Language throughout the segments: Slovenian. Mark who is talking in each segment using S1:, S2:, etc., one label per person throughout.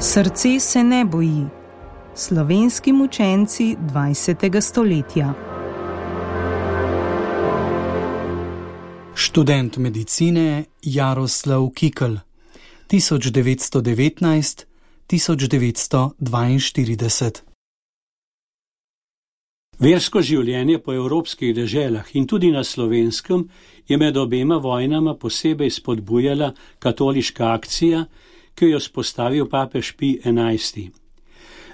S1: Srce se ne boji. Slovenski mučenci 20. stoletja.
S2: Študent medicine Jaroslav Kikl, 1919–1942.
S3: Versko življenje po evropskih deželah in tudi na Slovenskem je med obema vojnama posebej spodbujala katoliška akcija, ki jo je vzpostavil papež Pij XI.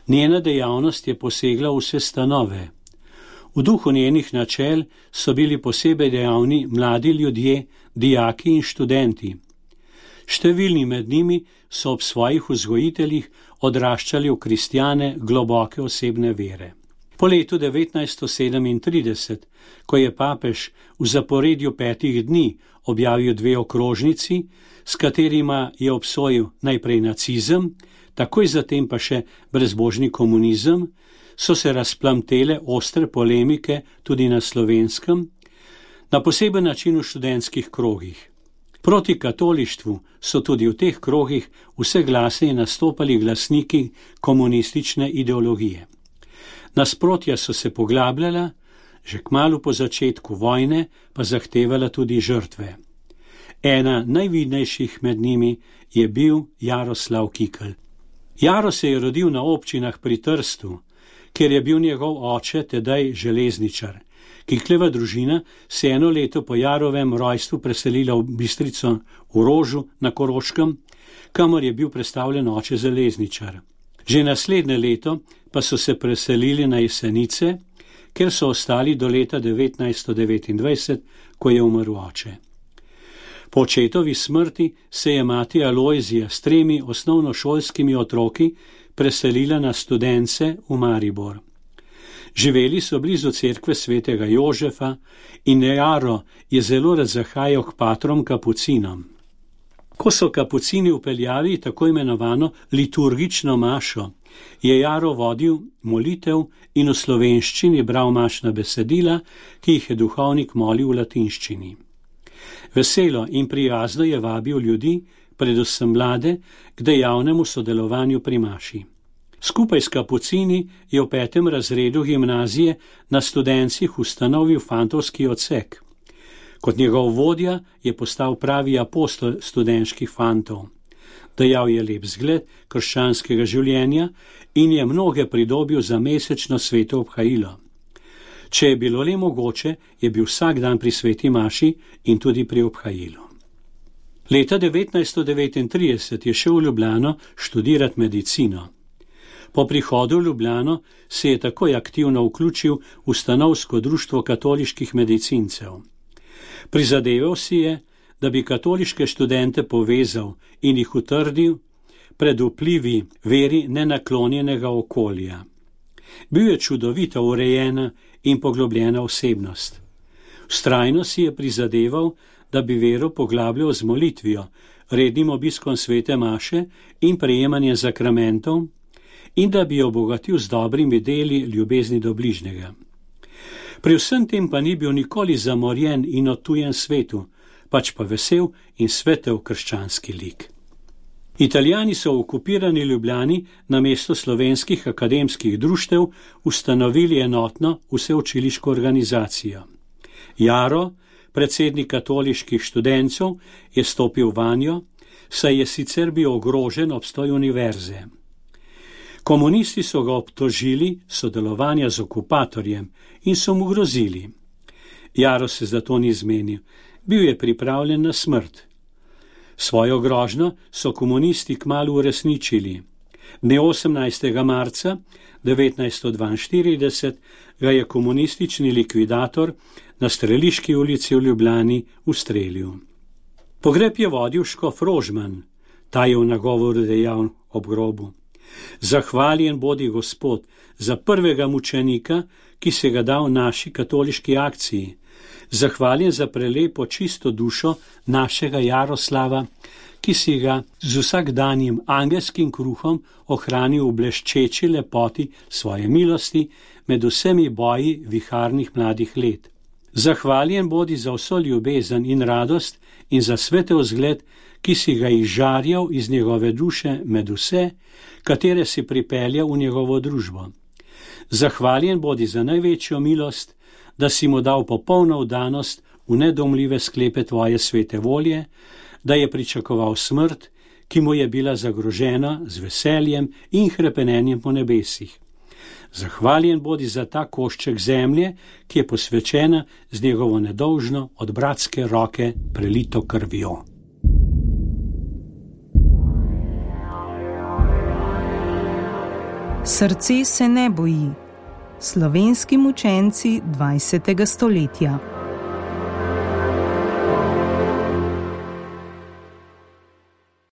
S3: Njena dejavnost je posegla v vse stanove. V duhu njenih načel so bili posebej dejavni mladi ljudje, dijaki in študenti. Številni med njimi so ob svojih vzgojiteljih odraščali v kristjane globoke osebne vere. Po letu 1937, ko je papež v zaporedju 5 dni objavil 2 okrožnici, s katerima je obsojil najprej nacizem, takoj zatem pa še brezbožni komunizem, so se razplamtele ostre polemike tudi na Slovenskem, na poseben način v študentskih krogih. Proti katolištvu so tudi v teh krogih vse glasneje nastopali glasniki komunistične ideologije. Nasprotja so se poglabljala, že kmalu po začetku vojne pa zahtevala tudi žrtve. Ena najvidnejših med njimi je bil Jaroslav Kikl. Jaro se je rodil na občinah pri Trstu, kjer je bil njegov oče tedaj železničar. Kikleva družina se 1 leto po Jarovem rojstvu preselila v Bistrico v Rožu na Koroškem, kamor je bil predstavljen oče železničar. Že naslednje leto pa so se preselili na Jesenice, ker so ostali do leta 1929, ko je umrl oče. Po očetovi smrti se je mati Alojzija s 3 osnovnošolskimi otroki preselila na Studence v Maribor. Živeli so blizu cerkve svetega Jožefa in Jaro je zelo rad zahajal k patrom kapucinom. Ko so kapucini upeljali tako imenovano liturgično mašo, je Jaro vodil molitev in v slovenščini bral mašna besedila, ki jih je duhovnik molil v latinščini. Veselo in prijazno je vabil ljudi, predvsem mlade, k dejavnemu sodelovanju pri maši. Skupaj s kapucini je v 5. razredu gimnazije na Studencih ustanovil fantovski odsek. Kot njegov vodja je postal pravi apostol študentskih fantov. Dajal je lep zgled krščanskega življenja in je mnoge pridobil za mesečno sveto obhajilo. Če je bilo le mogoče, je bil vsak dan pri sveti maši in tudi pri obhajilu. Leta 1939 je šel v Ljubljano študirati medicino. Po prihodu v Ljubljano se je takoj aktivno vključil v stanovsko društvo katoliških medicincev. Prizadeval si je, da bi katoliške študente povezal in jih utrdil pred vplivi veri nenaklonjenega okolja. Bil je čudovito urejena in poglobljena osebnost. Vztrajno si je prizadeval, da bi vero poglabljal z molitvijo, rednim obiskom svete maše in prejemanjem zakramentov in da bi jo obogatil z dobrimi deli ljubezni do bližnjega. Pri vsem tem pa ni bil nikoli zamorjen in odtujen svetu, pač pa vesel in svetel krščanski lik. Italijani so v okupirani Ljubljani namesto slovenskih akademskih društev ustanovili enotno vseučiliško organizacijo. Jaro, predsednik katoliških študencev, je stopil vanjo, saj je sicer bil ogrožen obstoj univerze. Komunisti so ga obtožili sodelovanja z okupatorjem in so mu grozili. Jaro se zato ni zmenil, bil je pripravljen na smrt. Svojo grožnjo so komunisti kmalu uresničili. Dne 18. marca 1942 ga je komunistični likvidator na Streliški ulici v Ljubljani ustrelil. Pogreb je vodil škof Rožman, ta je v nagovoru dejal ob grobu: Zahvaljen bodi Gospod za prvega mučenika, ki se ga dal naši katoliški akciji. Zahvaljen za prelepo čisto dušo našega Jaroslava, ki si ga z vsakdanjim angelskim kruhom ohranil v bleščeči lepoti svoje milosti med vsemi boji viharnih mladih let. Zahvaljen bodi za vso ljubezen in radost in za svetel vzgled, ki si ga izžarjal iz njegove duše med vse, katere si pripeljal v njegovo družbo. Zahvaljen bodi za največjo milost, da si mu dal popolno vdanost v nedomljive sklepe tvoje svete volje, da je pričakoval smrt, ki mu je bila zagrožena z veseljem in hrepenenjem po nebesih. Zahvaljen bodi za ta košček zemlje, ki je posvečena z njegovo nedolžno od bratske roke prelito krvjo.
S1: Srce se ne boji. Slovenski mučenci 20. stoletja.